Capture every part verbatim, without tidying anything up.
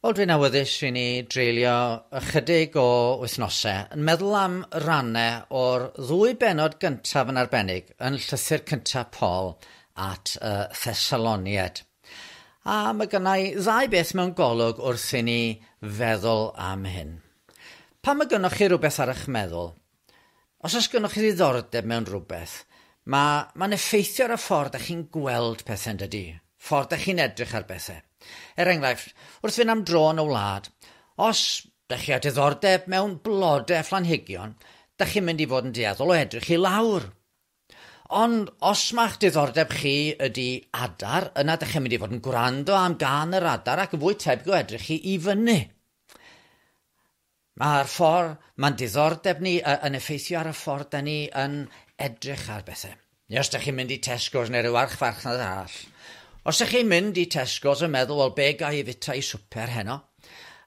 Wel, dwi'n awyddus i ni dreulio ychydig o wythnosau yn meddwl am rannau o'r ddwy bennod gyntaf yn arbennig yn llythyr cyntaf Paul at y Thessaloniaid. A mae gennai ddau beth mewn golwg wrth i ni feddwl am hyn. Pan mae gynnoch chi rhywbeth ar eich meddwl, os oes gynnoch chi ddiddordeb mewn rhywbeth, mae'n ma effeithio ar y ffordd ydych chi'n gweld pethau yn dydy, ffordd ydych chi'n edrych ar bethau. Er enghraifft, wrth fynd am dro yn y wlad, os ydych chi â diddordeb mewn blodau phlanhigion, ydych chi'n mynd i fod yn dueddol o edrych i lawr. Ond os ma'ch diddordeb chi ydy adar, yna ydych chi'n mynd i fod yn gwrando am gân yr adar ac yn fwy tebyg o edrych i i fyny. Mae'r ffordd, mae'n diddordeb ni yn effeithio ar y ffordd da ni yn edrych ar bethau. Neu os ydych chi'n mynd i Tesco's neu ryw archfarchnad arall, os ydych chi'n mynd i Tesco's yn meddwl, wel, be ga i fwyta i swper heno,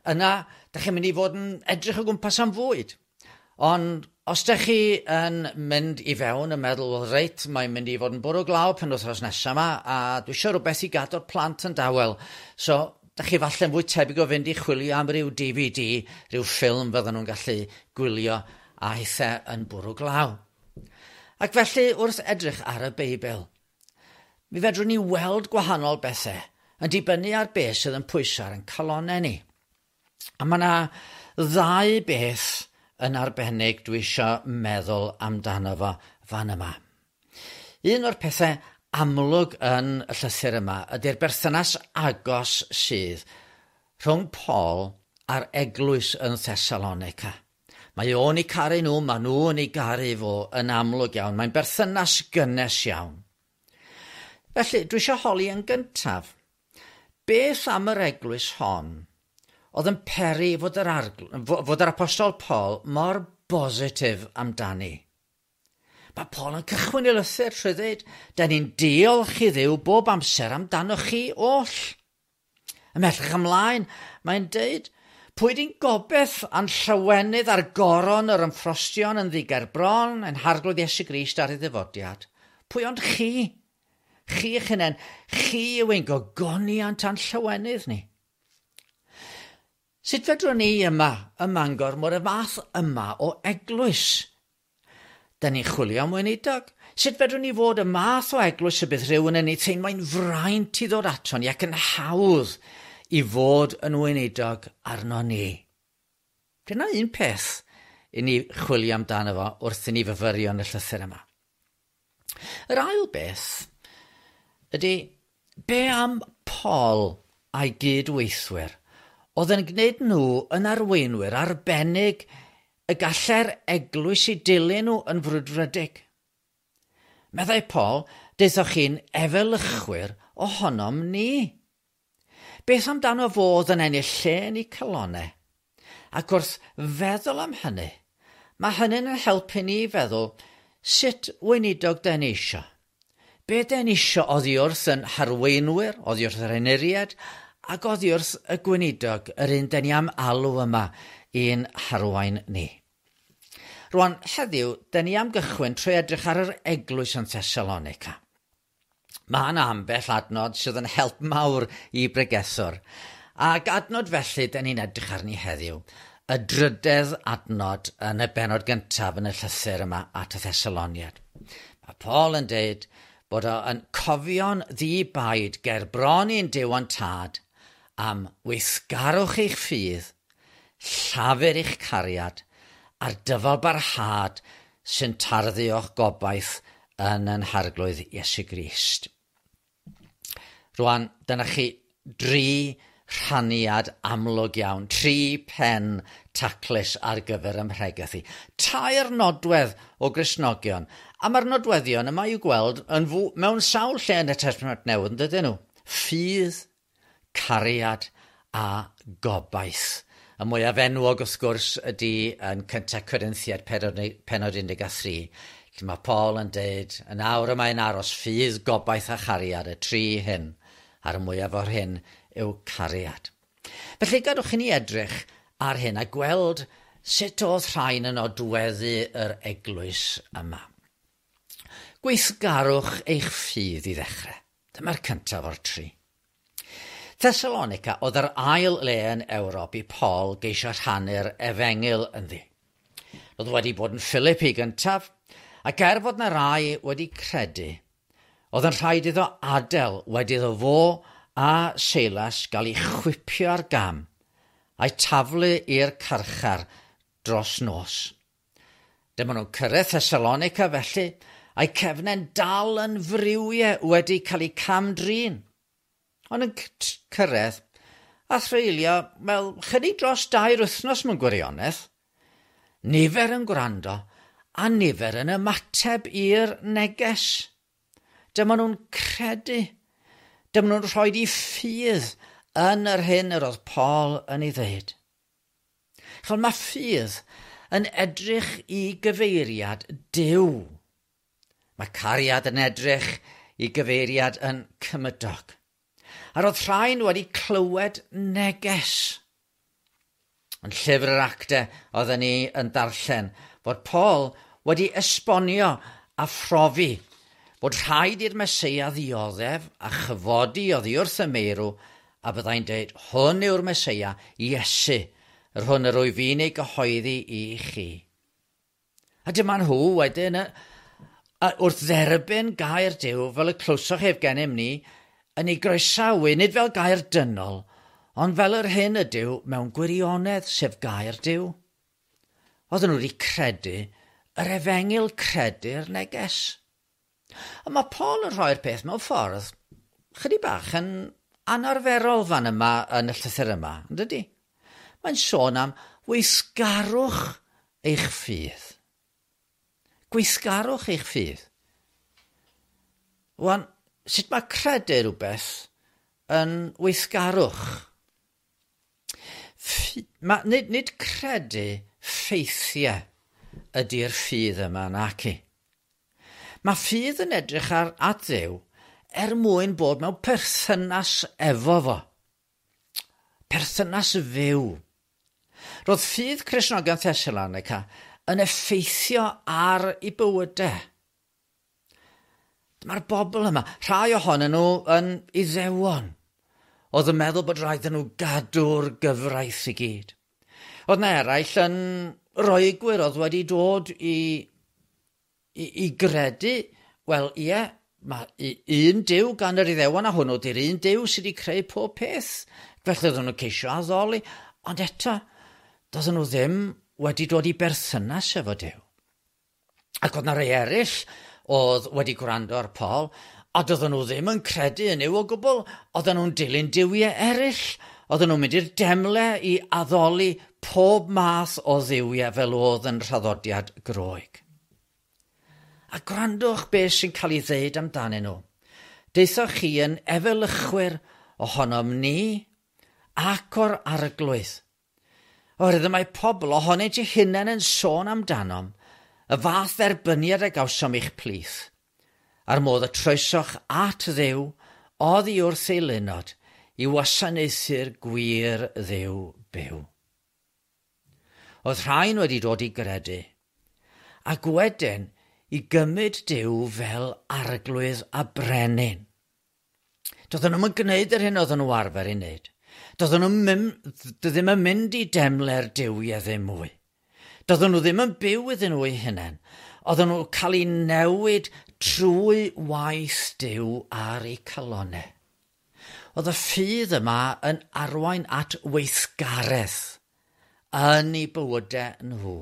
yna, ydych chi'n mynd i fod yn edrych o gwmpas am fwyd. Ond os ydych chi yn mynd i fewn yn meddwl, wel, reit, mae'n mynd i fod yn bwrw glaw penwythnos nesaf yma, a dwi eisiau rhywbeth i gadw'r plant yn dawel. So, ydych chi falle'n fwy tebyg o fynd i chwilio am ryw D V D, rhyw ffilm fydden nhw'n gallu gwylio a hithau yn bwrw glaw. Ac felly, wrth edrych ar y Beibl, mi fedrwn ni weld gwahanol bethau yn dibynnu ar beth sydd yn pwyso ar ein calonnau ni. A mae yna ddau beth yn arbennig dwi eisiau meddwl amdano fo fan yma. Un o'r pethau amlwg yn y llythyr yma ydy'r berthynas agos sydd rhwng Paul a'r eglwys yn Thessalonica. Mae o'n eu caru nhw, mae nhw'n ei garu fo yn amlwg iawn. Mae'n berthynas gynnes iawn. Felly, dwi eisiau holi yn gyntaf, beth am yr eglwys hon oedd yn peri fod yr, argl- fod yr apostol Paul mor bositif amdani? Mae Paul yn cychwyn ei lythyr trwy ddweud, da ni'n diolch i Dduw bob amser amdanoch chi oll. Ymhellach ymlaen, mae'n deud, pwy di'n gobeith a'n llawenydd ar goron yr ymffrostion yn ddiger bron yn Harglwydd Iesu Grist ar ei ddyfodiad? Pwy ond chi? Chi eich hunain, chi yw ein gogoniant a'n llawenydd ni. Sut fedrwn ni yma ym Mangor mor y fath yma o eglwys? Da ni'n chwilio am weinidog. Sut fedrwn ni fod y math o eglwys y bydd rhywun yn ei teimlo'n fraint i ddod ato ni ac yn hawdd i fod yn weinidog arno ni? Dyna un peth i ni chwilio amdano fo wrth i ni fyfyrio yn y llythyr yma. Yr ail beth ydy, be am Paul a'i gydweithwyr oedd yn gwneud nhw yn arweinwyr arbennig y gallai'r eglwys i dilyn nhw yn frwdfrydig? Meddai Paul, daethoch chi'n efelychwyr ohonom ni. Beth amdano fod yn ennill lle yn eu calonnau? Ac wrth feddwl am hynny, mae hynny'n yn helpu ni i feddwl sut weinidog da ni isio. Be da ni isio oddi wrth yn harweinwyr, oddi wrth yr henuriad, ac oddi wrth y gweinidog, yr un da ni am alw yma i'n harwain ni. Rwan, heddiw, da ni am gychwyn trwy edrych ar yr eglwys yn Thessalonica. Mae yna ambell adnod sydd yn help mawr i bregethwr. Ac adnod felly, da ni'n edrych arni heddiw, y drydedd adnod yn y bennod gyntaf yn y llythyr yma at y Thessaloniaid. Mae Paul yn deud bod o yn cofio'n ddi-baid ger bron i'n Duw a'n Tad am weithgarwch eich ffydd, llafur eich cariad, a'r dyfal barhad sy'n tarddu o'ch gobaith yn yn Harglwydd Iesu Grist. Rwan, dyna chi dri rhaniad amlwg iawn, tri pen taclus ar gyfer ymhregaeth i. Tair nodwedd o Gristnogion, a mae'r nodweddion yma i'w gweld yn fw, mewn sawl lle yn y Testament Newydd, yn dydyn nhw? Ffydd, cariad a gobaith. Y mwyaf enwog wrth gwrs ydy yn cyntaf Corinthiaid pennod un deg a thri, lle mae Paul yn deud, yn awr y mae'n aros ffydd, gobaith a chariad, y tri hyn, a'r mwyaf o'r hyn yw cariad. Felly gadwch i ni edrych ar hyn a gweld sut oedd rhain yn nodweddu yr eglwys yma. Gweithgarwch eich ffydd i ddechrau. Dyma'r cyntaf o'r tri. Thessalonica oedd yr ail le yn Ewrop i Paul geisio rhannu'r efengyl ynddi. Roedd wedi bod yn Philippi gyntaf, ac er fod na rai wedi credu, oedd yn rhaid iddo adael wedi iddo fo a Seilas gael ei chwipio ar gam a'i taflu i'r carchar dros nos. Dyma nhw'n cyrraedd Thessalonica felly, a'i cefnau'n dal yn friwiau wedi cael eu cam-drin. Ond yn cyrraedd a threulio, wel, chydig dros dair wythnos mewn gwirionedd. Nifer yn gwrando a nifer yn ymateb i'r neges. Dyma nhw'n credu. Dyma nhw'n rhoi eu ffydd yn yr hyn yr oedd Paul yn ei ddeud. Chol, mae ffydd yn edrych i gyfeiriad Duw. Mae cariad yn edrych i gyfeiriad yn cymydog. A roedd rhain wedi clywed neges. Yn llyfr yr actau oedden ni yn darllen fod Paul wedi esbonio a phrofi bod rhaid i'r Meseia ddioddef a chyfodi oddi wrth y meirw a byddai'n dweud, hwn yw'r Meseia, Iesu, yr hwn yr wyf fi'n ei gyhoeddi i chi. A dyma nhw wedyn, a wrth dderbyn gair Duw, fel y clywsoch ef gennym ni, yn ei groesawu, nid fel gair dynol, ond fel yr hyn ydyw mewn gwirionedd, sef gair Duw. Oedden nhw wedi credu yr efengyl, credu'r neges. A mae Paul yn rhoi'r peth mewn ffordd chydig bach yn anarferol fan yma yn y llythyr yma, yn dydy? Mae'n sôn am weithgarwch eich ffydd. Gweithgarwch eich ffydd. Wan, sut mae credu rhywbeth yn weithgarwch? Ffy, ma, nid, nid credu ffeithiau ydy'r ffydd yma, naci. Mae ffydd yn edrych ar at Dduw er mwyn bod mewn perthynas efo fo. Perthynas fyw. Roedd ffydd Cristnogion Thessalonica yn effeithio ar eu bywydau. Dyma'r bobl yma, rhai ohonyn nhw yn Iddewon, oedd yn meddwl bod rhaid nhw gadw'r gyfraith i gyd. Oedd na eraill yn Roegwyr oedd wedi dod i, i, i gredu, wel ie, mae un Duw gan yr Iddewon a hwnnw di'r un Duw sydd wedi creu pob peth. Felly oedden nhw'n ceisio addoli, ond eto, doedden nhw ddim wedi dod i berthynas efo Duw. Ac oedd na rei eraill oedd wedi gwrando ar Paul, a doedden nhw ddim yn credu yn Nuw o gwbl, oedden nhw'n dilyn duwiau eraill, oedden nhw'n mynd i'r demle i addoli pob math o dduwiau fel oedd yn rhaddodiad Groeg. A gwrandwch beth sy'n cael ei ddeud amdanyn nhw. Deuthoch chi yn efelychwyr ohonom ni ac o'r arglwydd. Oherwydd y mae pobl ohonynt eu hunain yn sôn amdanom, y fath dderbyniad a gawsom i'ch plith, a'r modd y troesoch at Dduw oddi wrth ei lunod i wasanaethu'r gwir Dduw byw. Oedd rhain wedi dod i gredu, ac wedyn i gymryd Duw fel arglwydd a brenin. Doedden nhw'm yn gwneud yr hyn oedden nhw arfer ei wneud. Doedden nhw ddim yn mynd i demle'r duwiau ddim mwy. Doedden nhw ddim yn byw iddyn nhw eu hunain. Oedden nhw cael eu newid trwy waith Duw ar eu calonnau. Oedd y ffydd yma yn arwain at weithgaredd yn eu bywydau nhw.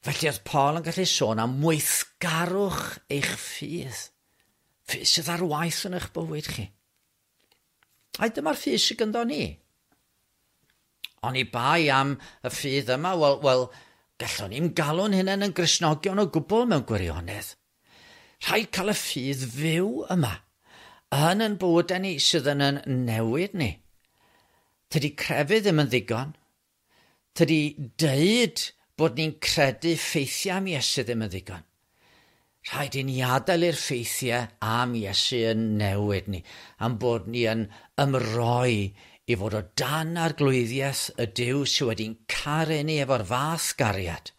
Felly oedd Paul yn gallu sôn am weithgarwch eich ffydd. Ffydd sydd ar waith yn eich bywyd chi. A dyma'r ffydd sydd gyda ni. Oni bai am y ffydd yma, wel, wel gallwn ni'n galw'n hunain yn Gristnogion o gwbl mewn gwirionedd. Rhaid cael y ffydd fyw yma, yn yn bywydau ni sydd yn yn newid ni. Tydi crefydd ddim yn ddigon. Tydi deud bod ni'n credu ffeithiau am Iesu ddim yn ddigon. Rhaid i ni adael i'r ffeithiau am Iesu yn newid ni, am bod ni yn ymroi i fod o dan arglwyddiaeth y Duw sydd wedi'n caru ni efo'r fath gariad,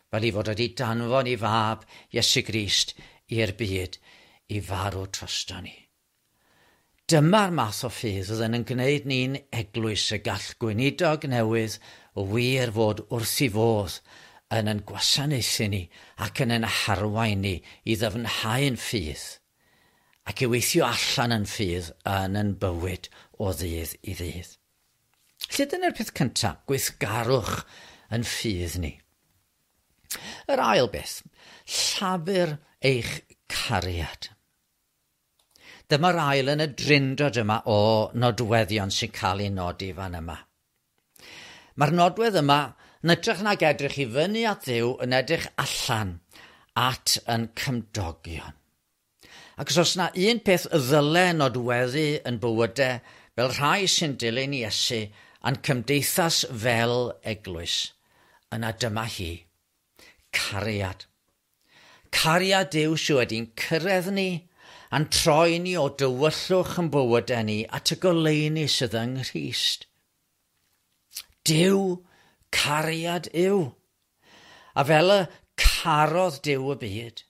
fel i fod wedi danfon ei fab Iesu Grist i'r byd i farw drosto ni. Dyma'r math o ffydd oedd yn gwneud ni'n eglwys y gall gweinidog newydd o wir fod wrth i fodd yn yn gwasanaethu ni ac yn yn harwain ni i ddyfnhau'n ffydd ac i weithio allan yn ffydd yn yn bywyd o ddydd i ddydd. Lle dyna'r peth cyntaf, gweithgarwch yn ffydd ni. Yr ail beth, llafur eich cariad. Dyma'r ail yn y drindod yma o nodweddion sy'n cael ei nodi fan yma. Mae'r nodwedd yma yn edrych nag edrych i fyny at Dduw yn edrych allan at yn cymdogion. Ac os oes yna un peth y ddyle nodweddu yn bywydau fel rhai sy'n dilyn Iesu a'n cymdeithas fel eglwys, yna dyma hi, cariad. Cariad Duw sydd wedi'n cyrraedd ni a'n troi ni o dywyllwch yn bywydau ni at y goleuni sydd yng Nghrist. Duw, cariad yw. A fel y carodd Duw y byd,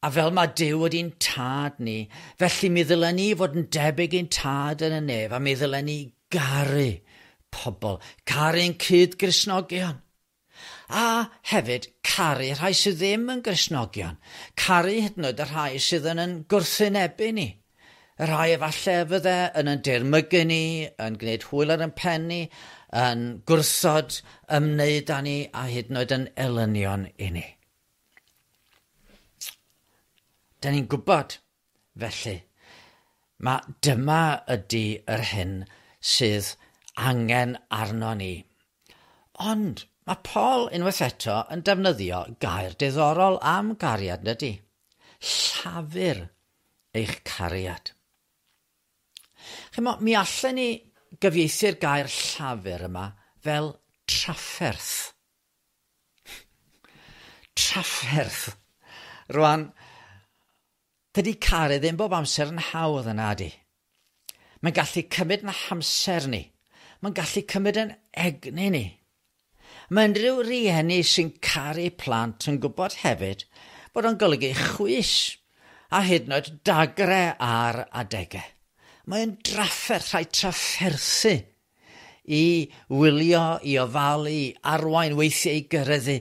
a fel mae Duw wedi'n tad ni, felly mi ddylen ni fod yn debyg i'n tad yn y nef, a mi ddylen ni garu pobl, caru'n cyd-Gristnogion. A hefyd caru rhai sydd ddim yn Gristnogion, caru hyd yn oed y rhai sydd yn yn gwrthwynebu ni. Y rhai efallai fydde yn yn dirmygu ni, yn gwneud hwyl ar yn pen ni, yn gwrthod ymwneud â ni a hyd yn oed yn elynion i ni. Da ni'n gwybod, felly, mae dyma ydy yr hyn sydd angen arno ni. Ond mae Paul unwaith eto yn defnyddio gair diddorol am gariad, ydy. Llafur eich cariad. Chimo, mi allan ni gyfieithu'r gair llafur yma fel trafferth. Trafferth. Rwan, dydy caru ddim bob amser yn hawdd yna, ydy. Mae'n gallu cymryd yn hamser ni. Mae'n gallu cymryd yn egni ni. Mae unrhyw rieni sy'n caru plant yn gwybod hefyd bod o'n golygu chwys a hyd yn oed dagre ar adegau. Mae'n drafferth, rhaid trafferthu i wylio, i ofalu, i arwain, weithiau i gyrraeddu,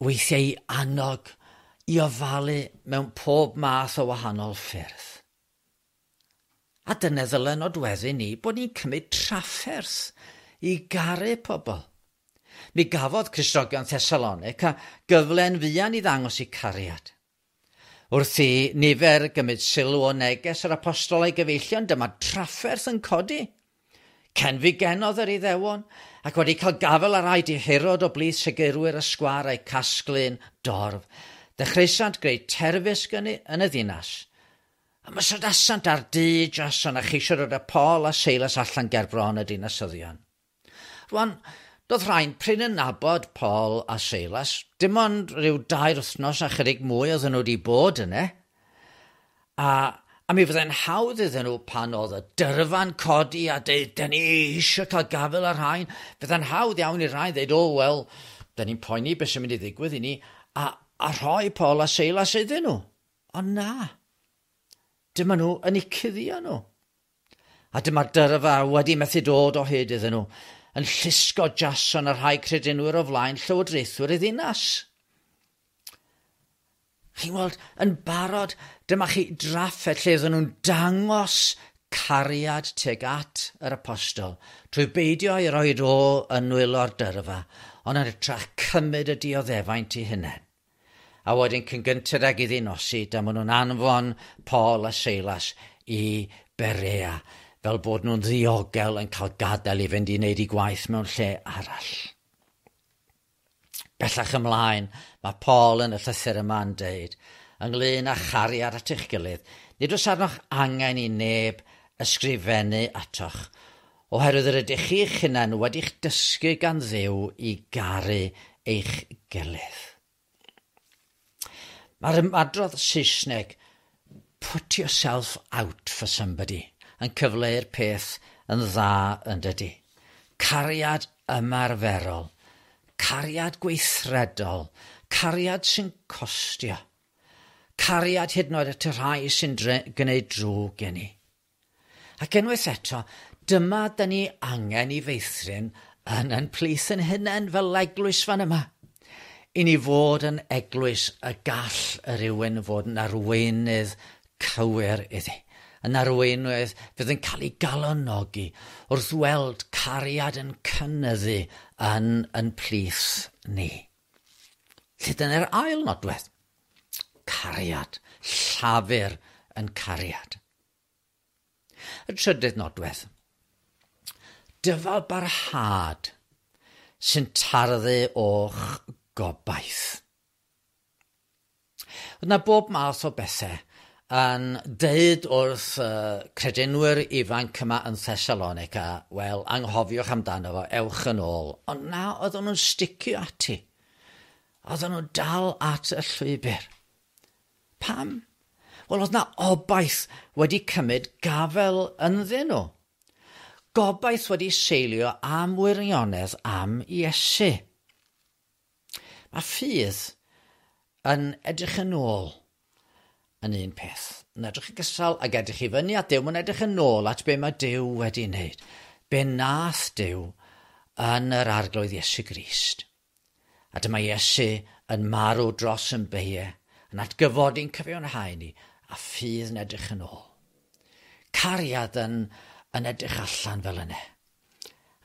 weithiau i annog, i ofalu mewn pob math o wahanol ffyrdd. A dyna ddylen nodweddu ni bod ni'n cymryd trafferth i garu pobl. Mi gafodd Cristnogion Thessalonica gyfle'n fuan i ddangos eu cariad. Wrth i nifer gymryd sylw o neges yr apostol a'i gyfeillion, dyma trafferth yn codi. Cenfigenodd yr Iddewon, ac wedi cael gafael ar rai dihirod o blith segurwyr y sgwâr a'i casglu'n dorf. Dechreusant greu terfysg yn y ddinas. Ymosodasant ar dŷ Jason a cheisio dod â Paul a Silas allan ger bron y dinasyddion. Rwan, doedd rhain prin yn nabod Paul a Silas, dim ond rhyw dair wythnos a chydig mwy oedden nhw wedi bod yna. A, a mi fyddai'n hawdd iddyn nhw pan oedd y dyrfa'n codi a deud, "Dyn ni eisiau cael gafael ar rhain." Fyddai'n hawdd iawn i'r rhain ddeud, "O, wel, dyn ni'n poeni beth sy'n mynd i ddigwydd i ni," a, a rhoi Paul a Silas iddyn nhw. Ond na, dyma nhw yn eu cuddio nhw. A dyma'r dyrfa wedi methu dod o hyd iddyn nhw, yn llusgo Jason a rhai credinwyr o flaen llywodraethwyr y ddinas. Chi'n weld, yn barod, dyma chi drafferth lle oedden nhw'n dangos cariad tuag at yr apostol, trwy beidio i roi o yn nwylo'r dyrfa, ond yn hytrach cymryd y dioddefaint i hunain. A wedyn cyn gynted ag iddi nosi, dyma nhw'n anfon Paul a Silas i Berea, fel bod nhw'n ddiogel yn cael gadael i fynd i wneud eu gwaith mewn lle arall. Bellach ymlaen, mae Paul yn y llythyr yma'n deud, ynglyn â chariad at eich gilydd, nid oes arnoch angen i neb ysgrifennu atoch, oherwydd yr ydych chi'ch hunain wedi'ch dysgu gan Dduw i garu eich gilydd. Mae'r ymadrodd Saesneg, "put yourself out for somebody", yn cyfleu'r peth yn dda yn dydy. Cariad ymarferol, cariad gweithredol, cariad sy'n costio, cariad hyd yn oed at y rhai sy'n gwneud drwg i ni. Ac unwaith eto, dyma dyn ni angen i feithrin yn yn plith yn hunain fel eglwys fan yma. I ni fod yn eglwys y gall y rhywun fod yn arweinydd cywir iddi. Yn arweinydd fydd yn cael ei galonogi wrth weld cariad yn cynyddu yn, yn plith ni. Lle dyna'r ail nodwedd. Cariad, llafur yn cariad. Y trydydd nodwedd. Dyfal barhad sy'n tarddu o'ch gobaith. Oedd yna bob math o bethau yn deud wrth uh, credinwyr ifanc yma yn Thessalonica, wel, anghofiwch amdano fo, ewch yn ôl. Ond na, oedden nhw'n sticio ati. Oedden nhw'n dal at y llwybr. Pam? Wel, oedd na obaith wedi cymryd gafel ynddyn nhw. Gobaith wedi seilio am wirionedd am Iesu. Mae ffydd yn edrych yn ôl yn un peth. Yn edrych yn gystal ac edrych i fyny at Duw, mae'n edrych yn ôl at be mae Duw wedi wneud. Be nath Duw yn yr Arglwydd Iesu Grist. A dyma Iesu yn marw dros yn beie, yn atgyfodi'n cyfiawnhau ni, a ffydd yn edrych yn ôl. Cariad yn, yn edrych allan fel yna.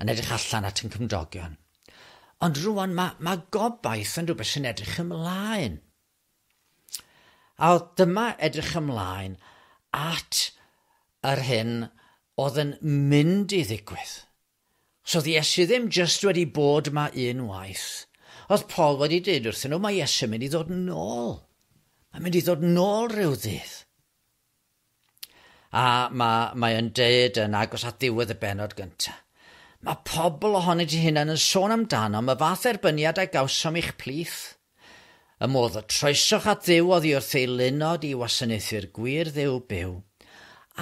Yn edrych allan at yn cymdogion. Ond rwan mae, mae gobaith yn rhywbeth sy'n edrych ymlaen. A dyma edrych ymlaen at yr hyn oedd yn mynd i ddigwydd. So oedd Iesu ddim jyst wedi bod yma un waith. Oedd Paul wedi dweud wrthyn nhw, mae Iesu mynd i ddod nôl. Mae'n mynd i ddod nôl rhyw ddydd. A mae, mae yn deud yn agos at ddiwedd y bennod gyntaf. Mae pobl ohonynt eu hunain yn sôn amdano am y fath erbyniad a gawsom i'ch plith. Y modd y troesoch at Dduw oddi wrth eilunod i wasanaethu'r gwir Dduw byw,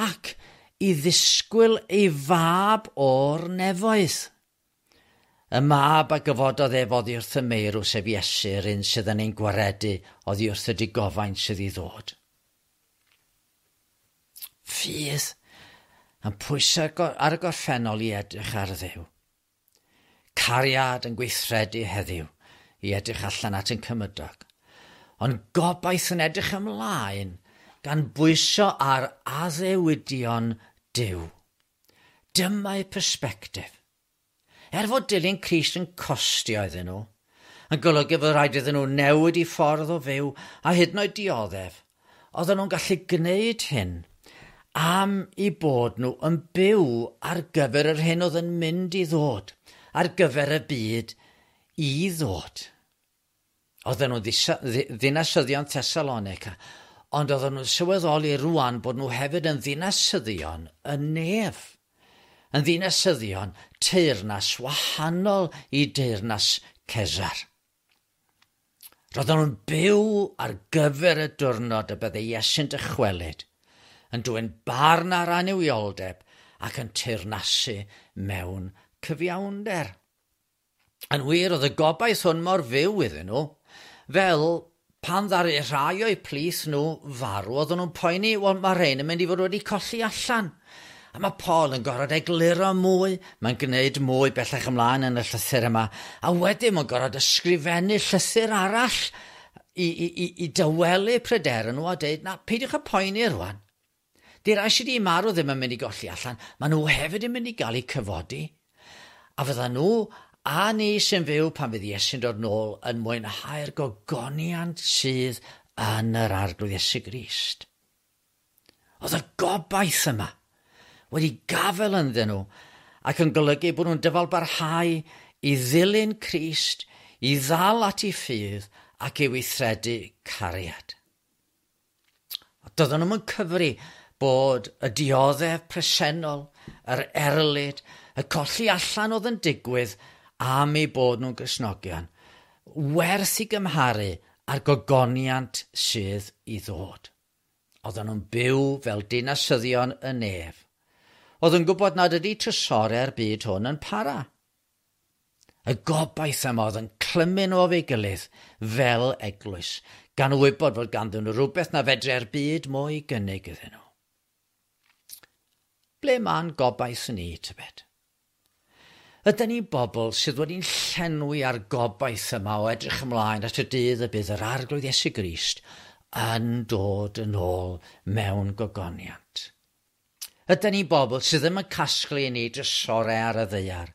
ac i ddisgwyl ei fab o'r nefoedd. Y mab a gyfododd ef oddi wrth y meirw, sef Iesu, yr un sydd yn ein gwaredu oddi wrth y digofaint sydd i ddod. Ffydd yn pwyso ar y gorffennol i edrych ar Dduw. Cariad yn gweithredu heddiw i edrych allan at yn cymydog. Ond gobaith yn edrych ymlaen gan bwyso ar addewidion Duw. Dyma'i persbectif. Er fod dilyn Crist yn costio iddyn nhw, yn golygu fod rhaid iddyn nhw newid i ffordd o fyw a hyd yn oed dioddef, oedden nhw'n gallu gwneud hyn am i bod nhw yn byw ar gyfer yr hyn oedd yn mynd i ddod, ar gyfer y byd i ddod. Oedden nhw'n ddinasyddion Thessalonica, ond oedden nhw'n sylweddoli rwan bod nhw hefyd yn ddinasyddion y nef. Yn ddinasyddion teyrnas wahanol i deyrnas Cesar. Roedden nhw'n byw ar gyfer y diwrnod y byddai Iesu'n dychwelyd, yn dwyn barn ar annuwioldeb ac yn teyrnasu mewn cyfiawnder. Yn wir, oedd y gobaith hwn mor fyw iddyn nhw, fel pan ddaru rhai o'u plith nhw farw, oedden nhw'n poeni, wel, mae rhain yn mynd i fod wedi colli allan. A mae Paul yn gorfod egluro mwy, mae'n gwneud mwy bellach ymlaen yn y llythyr yma, a wedyn mae'n gorfod ysgrifennu llythyr arall i, i, i, i dawelu pryderon nhw a dweud, na, peidiwch â poeni rwan. Di rai sydd wedi marw ddim yn mynd i golli allan, maen nhw hefyd yn mynd i gael eu cyfodi. A fydda nhw a ni sy'n fyw pan fydd Iesu'n dod nôl yn mwynhau'r gogoniant sydd yn yr Arglwydd Iesu Grist. Oedd y gobaith yma wedi gafael ynddyn nhw ac yn golygu bod nhw'n dyfal barhau i ddilyn Crist, i ddal at ei ffydd ac i weithredu cariad. Doedden nhw'n cyfri bod y dioddef presennol, yr erlid, y colli allan oedd yn digwydd am eu bod nhw'n Gristnogion, werth i gymharu â'r gogoniant sydd i ddod. Oedden nhw'n byw fel dinasyddion y nef. Oedd yn gwybod nad ydy trysorau'r byd hwn yn para. Y gobaith yma oedd yn clymu nhw efo'i gilydd fel eglwys, gan wybod fod ganddyn nhw rhywbeth na fedre'r byd mwy gynnig iddyn nhw. Ble ma'n gobaith ni, tybed? Ydyn ni bobl sydd wedi'n llenwi ar gobaith yma o edrych ymlaen at y dydd y bydd yr Arglwydd Iesu Grist yn dod yn ôl mewn gogoniant. Ydyn ni bobl sydd ddim yn casglu i ni drysorau ar y ddaear,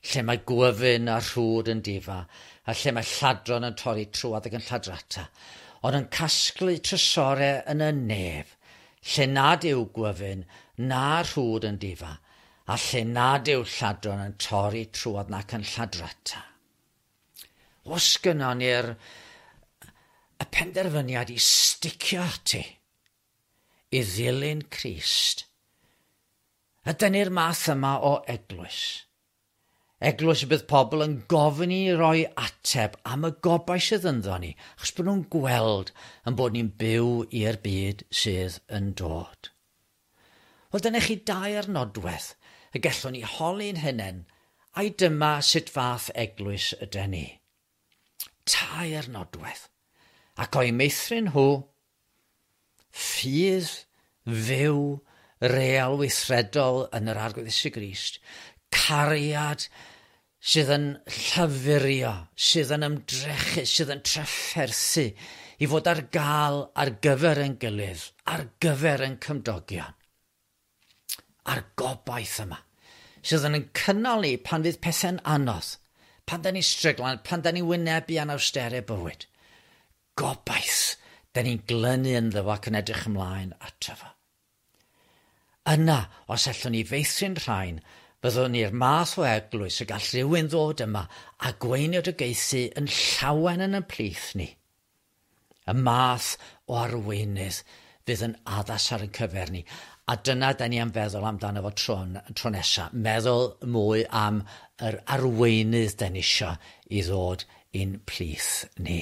lle mae gwyfyn a rhwd yn difa, a lle mae lladron yn torri trwodd ac yn lladrata, ond yn casglu trysorau yn y nef, lle nad yw gwyfyn na rhwd yn difa, a lle nad yw lladron yn torri trwodd nac yn lladrata. Os gynnon ni'r y penderfyniad i sticio ati, i ddilyn Crist, ydyn ni'r math yma o eglwys. Eglwys y bydd pobl yn gofyn i roi ateb am y gobaith sydd ynddo ni, achos bod nhw'n gweld yn bod ni'n byw i'r byd sydd yn dod. Wel, dyna chi dair nodwedd y gallwn ni holi'n hunain, ai dyma sut fath eglwys ydyn ni. Tair nodwedd. Ac o'i meithrin nhw, ffydd fyw, real weithredol yn yr Arglwydd Iesu Grist, cariad sydd yn llafurio, sydd yn ymdrechu, sydd yn trafferthu i fod ar gael ar gyfer ein gilydd, ar gyfer ein cymdogion. A'r gobaith yma, sydd yn cynnal ni pan fydd pethau'n anodd, pan da ni'n stryglan, pan da ni'n wynebu anawsterau bywyd. Gobaith, da ni'n glynu ynddo fo ac yn edrych ymlaen ato fo. Yna, os allwn ni feithrin rhain, byddwn ni'r math o eglwys y gall rhywun ddod yma a gweinidogaethu yn llawen yn y plith ni. Y math o arweinydd fydd yn addas ar ein cyfer ni. A dyna da ni am feddwl amdano fo tro, tro nesaf. Meddwl mwy am yr arweinydd da ni isio i ddod i'n plith ni.